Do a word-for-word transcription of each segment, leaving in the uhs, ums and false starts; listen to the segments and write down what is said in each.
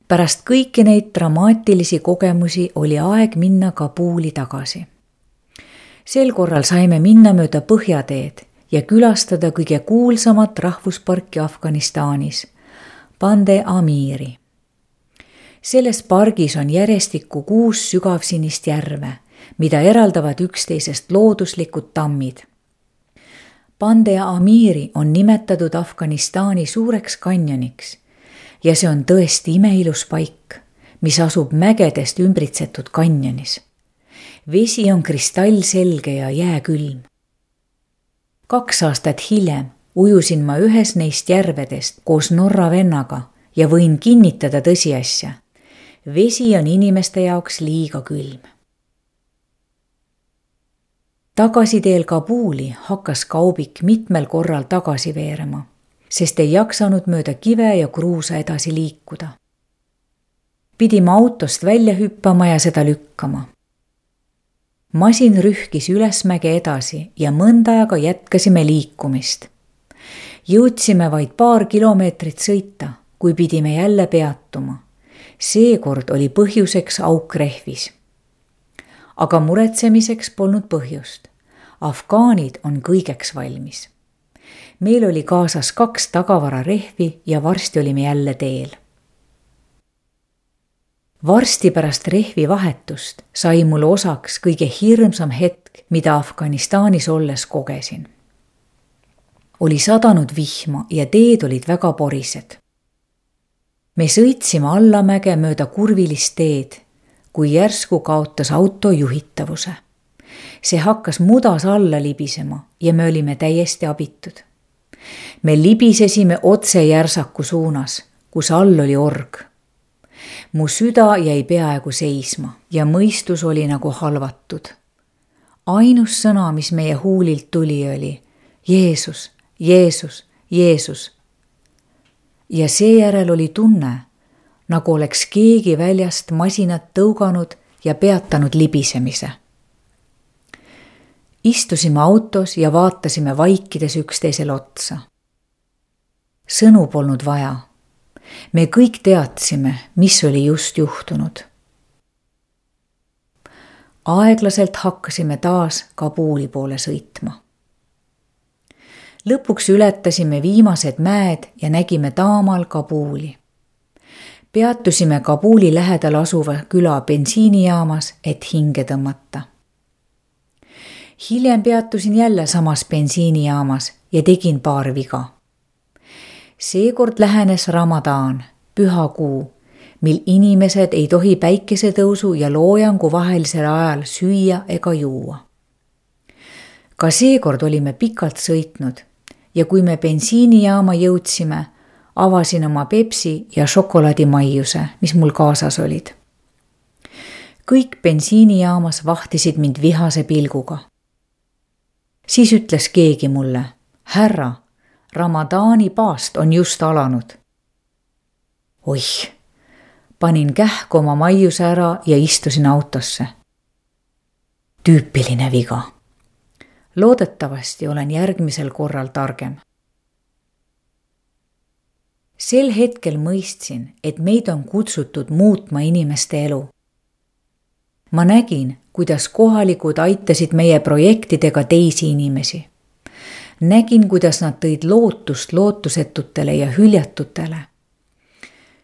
Pärast kõiki neid dramaatilisi kogemusi oli aeg minna Kabuli tagasi. Sel korral saime minna mööda Põhjateed ja külastada kõige kuulsamat rahvusparki Afganistanis, Bande Amiri. Selles pargis on järjestikku kuus sügavsinist järve, mida eraldavad üksteisest looduslikud tammid. Bande Amiri on nimetatud Afganistani suureks kanjoniks ja see on tõesti imeilus paik, mis asub mägedest ümbritsetud kanjonis. Vesi on kristallselge ja jääkülm. Kaks aastat hiljem ujusin ma ühes neist järvedest koos Norra vennaga ja võin kinnitada tõsiasja. Vesi on inimeste jaoks liiga külm. Tagasiteel Kabuli hakkas kaubik mitmel korral tagasi veerema, sest ei jaksanud mööda kive ja kruusa edasi liikuda. Pidime autost välja hüppama ja seda lükkama. Masin rühkis ülesmäge edasi ja mõnda aega jätkasime liikumist. Jõudsime vaid paar kilomeetrit sõita, kui pidime jälle peatuma. Seekord oli põhjuseks auk rehvis. Aga muretsemiseks polnud põhjust. Afgaanid on kõigeks valmis. Meil oli kaasas kaks tagavararehvi ja varsti olime jälle teel. Varsti pärast rehvi vahetust sai mulle osaks kõige hirmsam hetk, mida Afganistanis olles kogesin. Oli sadanud vihma ja teed olid väga porised. Me sõitsime allamäge mööda kurvilist teed, kui järsku kaotas auto juhitavuse. See hakkas mudas alla libisema ja me olime täiesti abitud. Me libisesime otse järsaku suunas, kus all oli org. Mu süda jäi peaaegu seisma ja mõistus oli nagu halvatud. Ainus sõna, mis meie huulilt tuli, oli Jeesus, Jeesus, Jeesus. Ja seejärel oli tunne, nagu oleks keegi väljast masinat tõuganud ja peatanud libisemise. Istusime autos ja vaatasime vaikides üksteisel otsa. Sõnu polnud vaja. Me kõik teadsime, mis oli just juhtunud. Aeglaselt hakkasime taas Kabuli poole sõitma. Lõpuks ületasime viimased mäed ja nägime taamal Kabuli. Peatusime Kabuli lähedal asuva küla bensiinijaamas, et hinge tõmmata. Hiljem peatusin jälle samas bensiinijaamas ja tegin paar viga. Seekord lähenes Ramadan, püha kuu, mil inimesed ei tohi päikesetõusu ja loojangu vahelisel ajal süüa ega juua. Ka seekord olime pikalt sõitnud ja kui me bensiinijaama jõudsime, avasin oma Pepsi ja šokolaadimaiuse, mis mul kaasas olid. Kõik bensiinijaamas vahtisid mind vihase pilguga. Siis ütles keegi mulle, härra, Ramadani paast on just alanud. Oih, panin kähku oma maiuse ära ja istusin autosse. Tüüpiline viga. Loodetavasti olen järgmisel korral targem. Sel hetkel mõistsin, et meid on kutsutud muutma inimeste elu. Ma nägin, kuidas kohalikud aitasid meie projektidega teisi inimesi. Nägin, kuidas nad tõid lootust lootusetutele ja hüljatutele.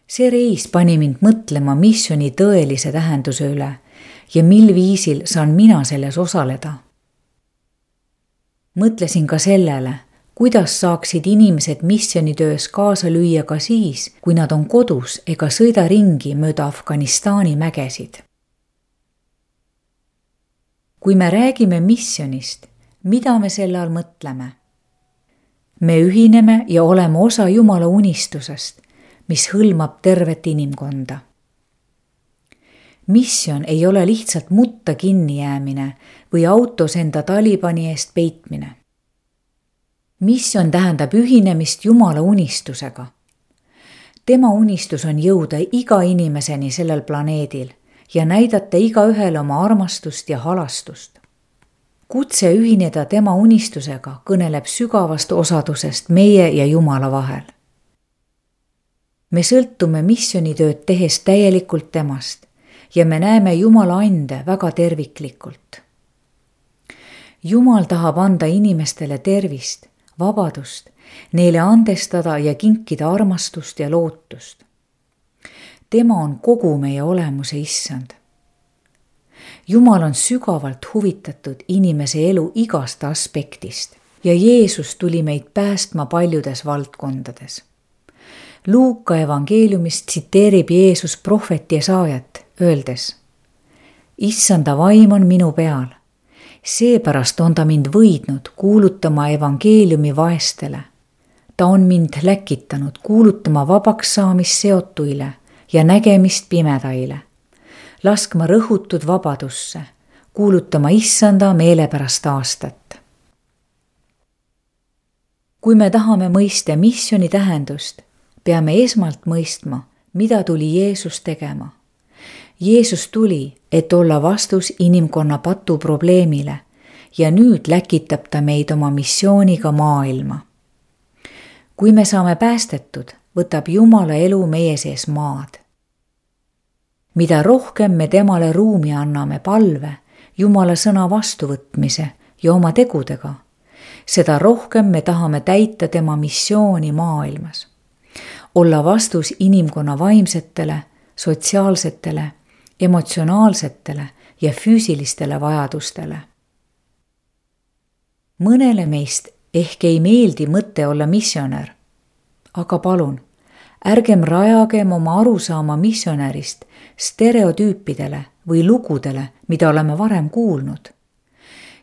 See reis pani mind mõtlema missioni tõelise tähenduse üle ja mil viisil saan mina selles osaleda. Mõtlesin ka sellele, kuidas saaksid inimesed missionitöös kaasa lüüa ka siis, kui nad on kodus ega sõida ringi mööda Afganistani mägesid. Kui me räägime missionist, mida me selle all mõtleme? Me ühineme ja oleme osa Jumala unistusest, mis hõlmab tervet inimkonda. Missioon ei ole lihtsalt mutta kinni jäämine või autos enda Talibani eest peitmine. Missioon tähendab ühinemist Jumala unistusega. Tema unistus on jõuda iga inimeseni sellel planeedil ja näidata igaühele oma armastust ja halastust. Kutse ühineda tema unistusega kõneleb sügavast osadusest meie ja Jumala vahel. me sõltume missioonitööd tehes täielikult temast ja me näeme Jumala ande väga terviklikult. Jumal tahab anda inimestele tervist, vabadust, neile andestada ja kinkida armastust ja lootust. Tema on kogu meie olemuse issand. Jumal on sügavalt huvitatud inimese elu igast aspektist ja Jeesus tuli meid päästma paljudes valdkondades. Luuka evangeeliumist tsiteerib Jeesus prohvet Jesaajat, öeldes: Issanda vaim on minu peal, seepärast on ta mind võidnud kuulutama evangeeliumi vaestele. Ta on mind läkitanud kuulutama vabaks saamist seotuile ja nägemist pimedaile, laskma rõhutud vabadusse, kuulutama Issanda meelepärast aastat. Kui me tahame mõista missiooni tähendust, peame esmalt mõistma, mida tuli Jeesus tegema. Jeesus tuli, et olla vastus inimkonna patu probleemile ja nüüd läkitab ta meid oma missiooniga maailma. Kui me saame päästetud, võtab Jumala elu meie sees maad. Mida rohkem me temale ruumi anname palve, Jumala sõna vastuvõtmise ja oma tegudega, seda rohkem me tahame täita tema missiooni maailmas. Olla vastus inimkonna vaimsetele, sotsiaalsetele, emotsionaalsetele ja füüsilistele vajadustele. Mõnele meist ehk ei meeldi mõte olla missionär, aga palun, ärgem rajagem oma arusaama missionärist stereotüüpidele või lugudele, mida oleme varem kuulnud.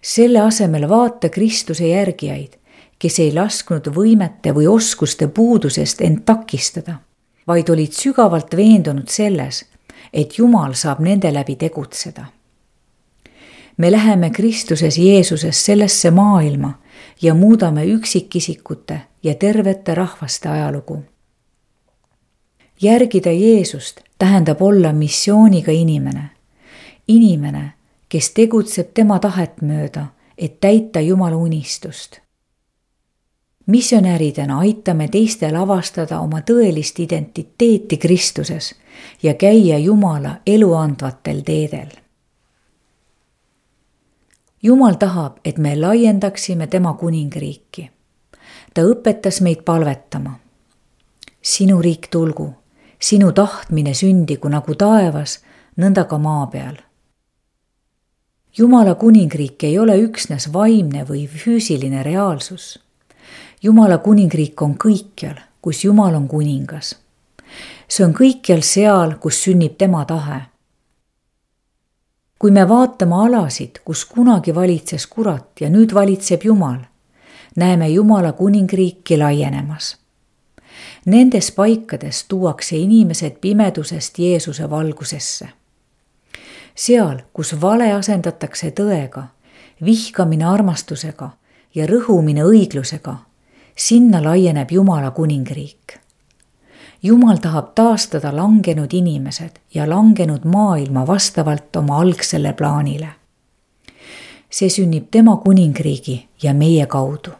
Selle asemel vaata Kristuse järgijaid, kes ei lasknud võimete või oskuste puudusest end takistada, vaid olid sügavalt veendunud selles, et Jumal saab nende läbi tegutseda. Me läheme Kristuses Jeesuses sellesse maailma ja muudame üksikisikute ja tervete rahvaste ajalugu. Järgida Jeesust tähendab olla missiooniga inimene. Inimene, kes tegutseb tema tahet mööda, et täita Jumala unistust. Missionäridena aitame teistel avastada oma tõelist identiteeti Kristuses ja käia Jumala eluandvatel teedel. Jumal tahab, et me laiendaksime tema kuningriiki. Ta õpetas meid palvetama. Sinu riik tulgu, sinu tahtmine sündigu nagu taevas, nõnda ka maa peal. Jumala kuningriik ei ole üksnes vaimne või füüsiline reaalsus. Jumala kuningriik on kõikjal, kus Jumal on kuningas. See on kõikjal seal, kus sünnib tema tahe. Kui me vaatame alasid, kus kunagi valitses kurat ja nüüd valitseb Jumal, näeme Jumala kuningriiki laienemas. Nendes paikades tuuakse inimesed pimedusest Jeesuse valgusesse. Seal, kus vale asendatakse tõega, vihkamine armastusega ja rõhumine õiglusega, sinna laieneb Jumala kuningriik. Jumal tahab taastada langenud inimesed ja langenud maailma vastavalt oma algsele plaanile. See sünnib tema kuningriigi ja meie kaudu.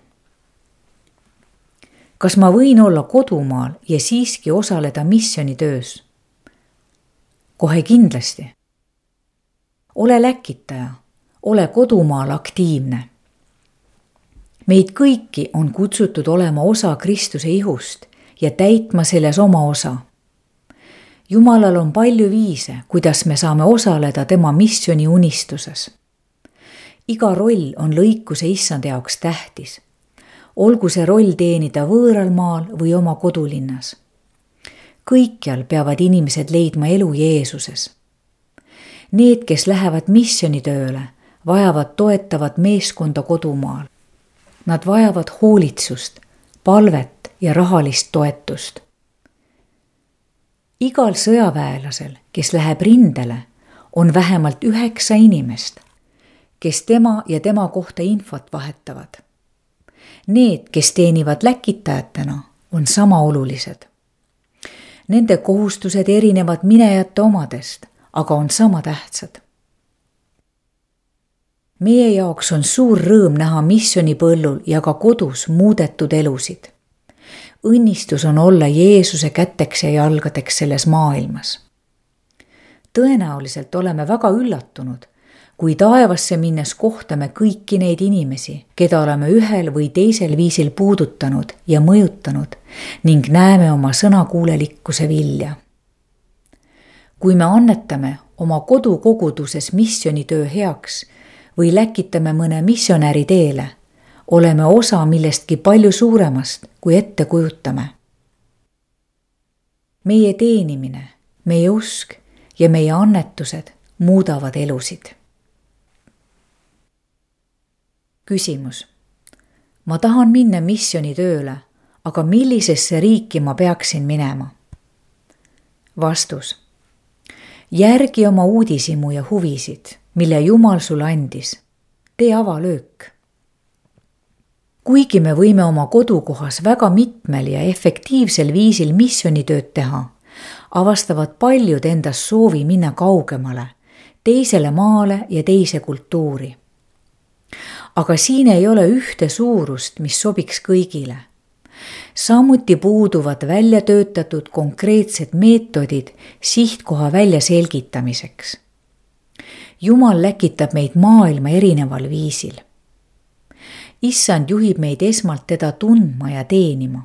Kas ma võin olla kodumaal ja siiski osaleda missioonitöös? Kohe kindlasti. Ole läkitaja, ole kodumaal aktiivne. Meid kõiki on kutsutud olema osa Kristuse ihust ja täitma selles oma osa. Jumalal on palju viise, kuidas me saame osaleda tema missiooni unistuses. Iga roll on lõikuse issand jaoks tähtis. Olgu see roll teenida võõral maal või oma kodulinnas. Kõikjal peavad inimesed leidma elu Jeesuses. Need, kes lähevad missioonitööle, vajavad toetavat meeskonda kodumaal. Nad vajavad hoolitsust, palvet ja rahalist toetust. Igal sõjaväelasel, kes läheb rindele, on vähemalt üheksa inimest, kes tema ja tema kohta infot vahetavad. Need, kes teenivad läkitajatena, on sama olulised. Nende kohustused erinevad minejate omadest, aga on sama tähtsad. Meie jaoks on suur rõõm näha missioonipõllul ja ka kodus muudetud elusid. õnnistus on olla Jeesuse käteks ja jalgadeks selles maailmas. Tõenäoliselt oleme väga üllatunud, kui taevasse minnes kohtame kõiki neid inimesi, keda oleme ühel või teisel viisil puudutanud ja mõjutanud ning näeme oma sõnakuulelikkuse vilja. Kui me annetame oma kodukoguduses missionitöö heaks või läkitame mõne missionäri teele, oleme osa millestki palju suuremast, kui ette kujutame. Meie teenimine, meie usk ja meie annetused muudavad elusid. Küsimus. Ma tahan minna missionitööle, aga millisesse riiki ma peaksin minema? Vastus. Järgi oma uudishimu ja huvisid, mille Jumal sulle andis. Tee avalöök. Kuigi me võime oma kodukohas väga mitmel ja efektiivsel viisil missionitööd teha, avastavad paljud endas soovi minna kaugemale, teisele maale ja teise kultuuri. Aga siin ei ole ühte suurust, mis sobiks kõigile. Samuti puuduvad välja töötatud konkreetsed meetodid sihtkoha välja selgitamiseks. Jumal läkitab meid maailma erineval viisil. Issand juhib meid esmalt teda tundma ja teenima.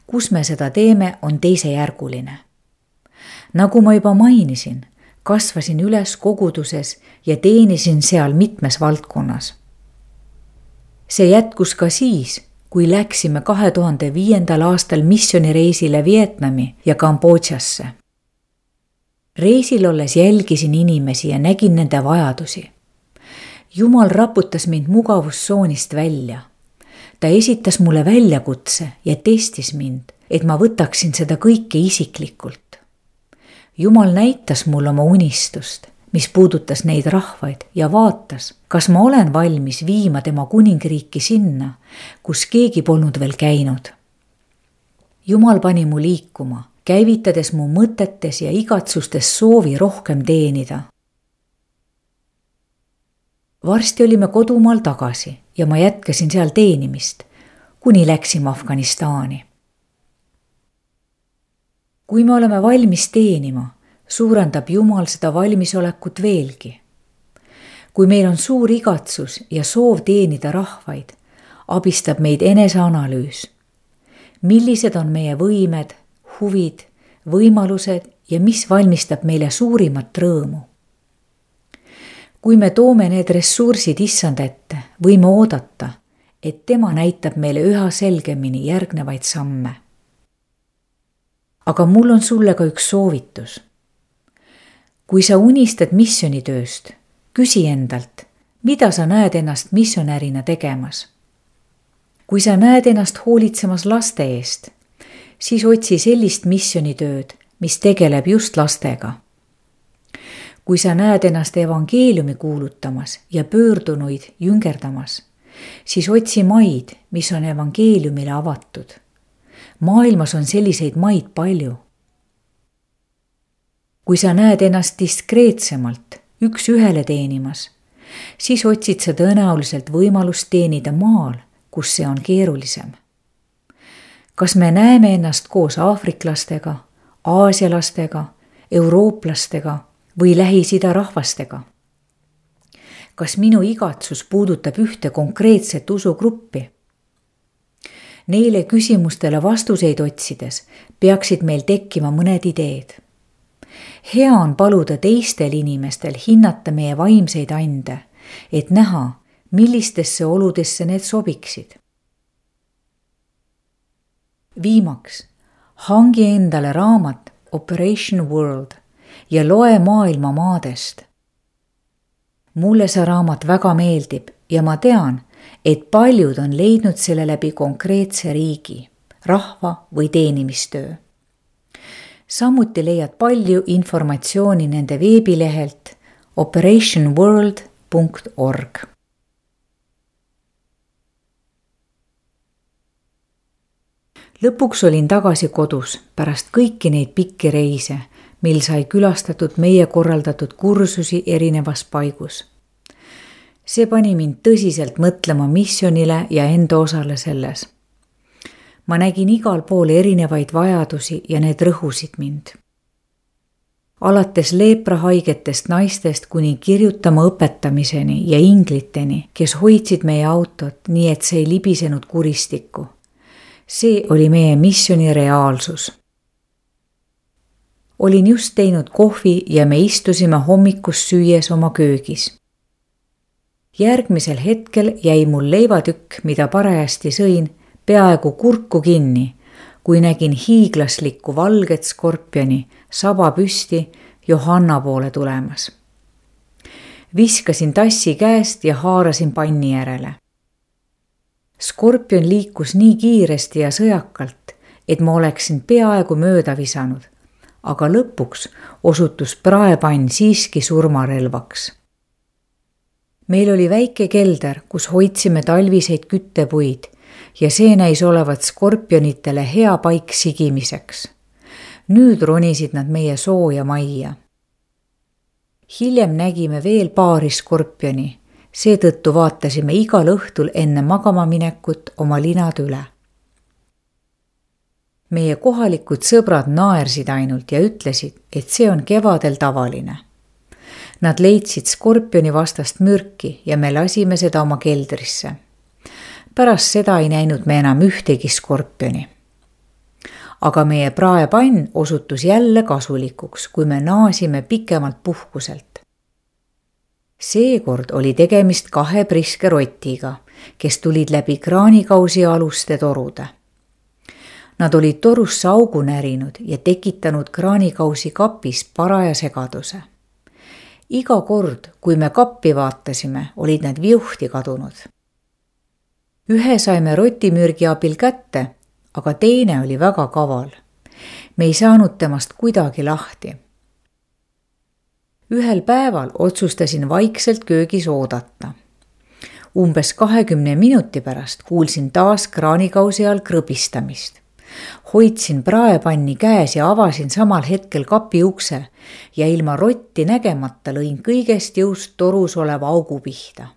Kus me seda teeme, on teisejärguline. Nagu ma juba mainisin, kasvasin üles koguduses ja teenisin seal mitmes valdkonnas. See jätkus ka siis, kui läksime kahe tuhande viiendal aastal missionireisile Vietnami ja Kambodžasse. Reisil olles jälgisin inimesi ja nägin nende vajadusi. Jumal raputas mind mugavustsoonist välja. Ta esitas mulle väljakutse ja testis mind, et ma võtaksin seda kõike isiklikult. Jumal näitas mulle oma unistust, mis puudutas neid rahvaid ja vaatas, kas ma olen valmis viima tema kuningriiki sinna, kus keegi polnud veel käinud. Jumal pani mu liikuma, käivitades mu mõtetes ja igatsustes soovi rohkem teenida. Varsti olime kodumaal tagasi ja ma jätkasin seal teenimist, kuni läksime Afganistani. Kui me oleme valmis teenima, suurendab Jumal seda valmisolekut veelgi. Kui meil on suur igatsus ja soov teenida rahvaid, abistab meid eneseanalüüs. Millised on meie võimed, huvid, võimalused ja mis valmistab meile suurimat rõõmu? Kui me toome need ressursid issand ette, võime oodata, et tema näitab meile üha selgemini järgnevaid samme. Aga mul on sulle ka üks soovitus. Kui sa unistad missionitööst, küsi endalt, mida sa näed ennast missionärina tegemas. Kui sa näed ennast hoolitsemas laste eest, siis otsi sellist missionitööd, mis tegeleb just lastega. Kui sa näed ennast evangeeliumi kuulutamas ja pöördunuid jüngerdamas, siis otsi maid, mis on evangeeliumile avatud. Maailmas on selliseid maid palju. Kui sa näed ennast diskreetsemalt üks ühele teenimas, siis otsid sa tõenäoliselt võimalust teenida maal, kus see on keerulisem. Kas me näeme ennast koos aafriklastega, aasialastega, eurooplastega või Lähis-Ida rahvastega? Kas minu igatsus puudutab ühte konkreetset usugruppi? Neile küsimustele vastuseid otsides peaksid meil tekkima mõned ideed. Hea on paluda teistel inimestel hinnata meie vaimseid ande, et näha, millistesse oludesse need sobiksid. Viimaks, hangi endale raamat Operation World ja loe maailma maadest. Mulle see raamat väga meeldib ja ma tean, et paljud on leidnud selle läbi konkreetse riigi, rahva või teenimistöö. Samuti leiad palju informatsiooni nende veebilehelt operation world punkt org. Lõpuks olin tagasi kodus pärast kõiki neid pikki reise, mil sai külastatud meie korraldatud kursusi erinevas paigus. See pani mind tõsiselt mõtlema missionile ja enda osale selles. ma nägin igal pool erinevaid vajadusi ja need rõhusid mind. Alates leeprahaigetest naistest kuni kirjutama õpetamiseni ja ingliteni, kes hoidsid meie autot nii, et see ei libisenud kuristikku. See oli meie missioni reaalsus. Olin just teinud kohvi ja me istusime hommikust süües oma köögis. Järgmisel hetkel jäi mul leivatükk, mida parajasti sõin, peaaegu kurku kinni, kui nägin hiiglaslikku valget skorpioni saba püsti Johanna poole tulemas. Viskasin tassi käest ja haarasin panni järele. Skorpion liikus nii kiiresti ja sõjakalt, et ma oleksin peaaegu mööda visanud, aga lõpuks osutus praepann siiski surmarelvaks. Meil oli väike kelder, kus hoidsime talviseid küttepuid ja see näis olevat skorpionitele hea paik sigimiseks. Nüüd ronisid nad meie sooja majja. Hiljem nägime veel paari skorpioni, seetõttu vaatasime igal õhtul enne magama minekut oma linad üle. Meie kohalikud sõbrad naersid ainult ja ütlesid, et see on kevadel tavaline. Nad leidsid skorpioni vastast mürki ja me lasime seda oma keldrisse. Pärast seda ei näinud me enam ühtegi skorpioni. Aga meie praepann osutus jälle kasulikuks, kui me naasime pikemalt puhkuselt. Seekord oli tegemist kahe priske rotiga, kes tulid läbi kraanikausi aluste torude. Nad olid torusse augu närinud ja tekitanud kraanikausi kapis paraja segaduse. Iga kord, kui me kappi vaatasime, olid need viuhti kadunud. Ühe saime rotimürgi abil kätte, aga teine oli väga kaval. Me ei saanud temast kuidagi lahti. Ühel päeval otsustasin vaikselt köögis oodata. Umbes kahekümne minuti pärast kuulsin taas kraanikausi all krõbistamist. Hoidsin praepanni käes ja avasin samal hetkel kapi ukse ja ilma rotti nägemata lõin kõigest jõust torus oleva augu pihta.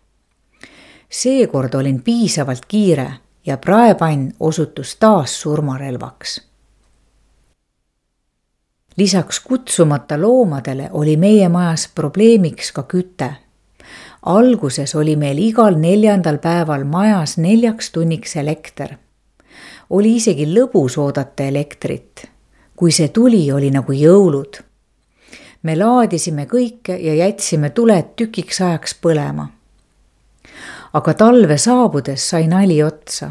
Seekord olin piisavalt kiire ja praepann osutus taas surmarelvaks. Lisaks kutsumata loomadele oli meie majas probleemiks ka küte. Alguses oli meil igal neljandal päeval majas neljaks tunniks elekter. Oli isegi lõbus oodata elektrit. Kui see tuli, oli nagu jõulud. Me laadisime kõike ja jätsime tuled tükiks ajaks põlema. Aga talve saabudes sai nali otsa.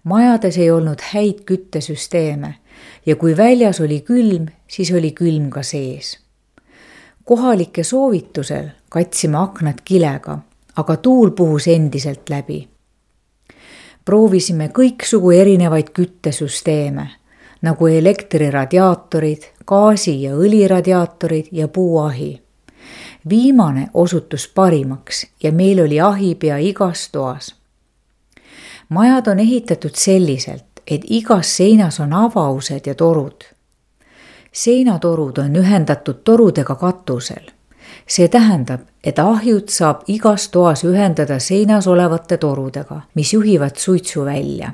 Majades ei olnud häid küttesüsteeme ja kui väljas oli külm, siis oli külm ka sees. Kohalike soovitusel katsime aknad kilega, aga tuul puhus endiselt läbi. Proovisime kõiksugu erinevaid küttesüsteeme, nagu elektriradiaatorid, gaasi- ja õliradiaatorid ja puuahi. Viimane osutus parimaks ja meil oli ahi pea igas toas. Majad on ehitatud selliselt, et igas seinas on avaused ja torud. Seinatorud on ühendatud torudega katusel. See tähendab, et ahjud saab igas toas ühendada seinas olevate torudega, mis juhivad suitsu välja.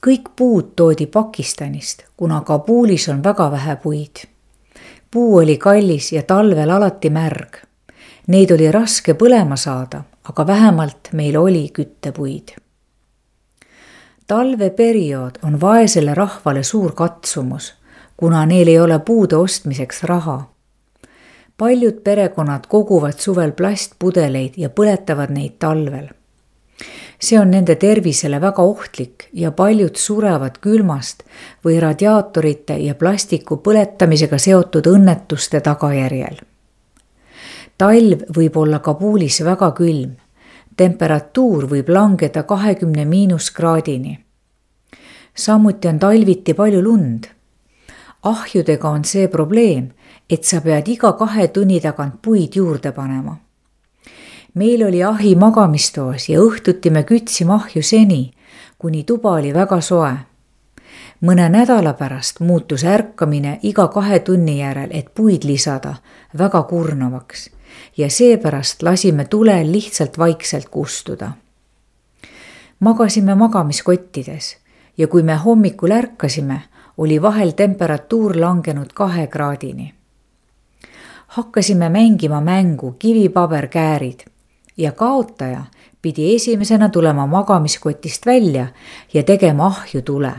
Kõik puud toodi Pakistanist, kuna Kabulis on väga vähe puid. Puu oli kallis ja talvel alati märg. Neid oli raske põlema saada, aga vähemalt meil oli küttepuid. Talveperiood on vaesele rahvale suur katsumus, kuna neil ei ole puude ostmiseks raha. Paljud perekonnad koguvad suvel plastpudeleid ja põletavad neid talvel. See on nende tervisele väga ohtlik ja paljud surevad külmast või radiaatorite ja plastiku põletamisega seotud õnnetuste tagajärjel. Talv võib olla Kabulis väga külm. Temperatuur võib langeda kahekümne miinuskraadini. Samuti on talviti palju lund. Ahjudega on see probleem, et sa pead iga kahe tunni tagant puid juurde panema. Meil oli ahi magamistoos ja õhtuti me kütsime ahju seni, kuni tuba oli väga soe. Mõne nädala pärast muutus ärkamine iga kahe tunni järel, et puid lisada, väga kurnavaks ja seepärast lasime tulel lihtsalt vaikselt kustuda. Magasime magamiskottides ja kui me hommikul ärkasime, oli vahel temperatuur langenud kahe kraadini. Hakkasime mängima mängu kivipaberkäärid ja kaotaja pidi esimesena tulema magamiskotist välja ja tegema ahju tule.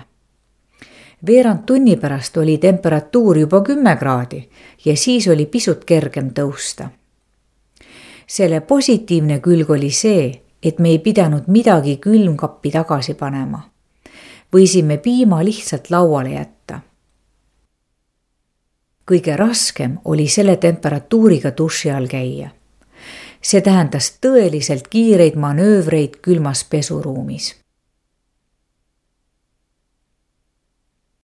Veerand tunni pärast oli temperatuur juba kümme kraadi ja siis oli pisut kergem tõusta. Selle positiivne külg oli see, et me ei pidanud midagi külmkappi tagasi panema. Võisime piima lihtsalt lauale jätta. Kõige raskem oli selle temperatuuriga duši all käia. See tähendas tõeliselt kiireid manöövreid külmas pesuruumis.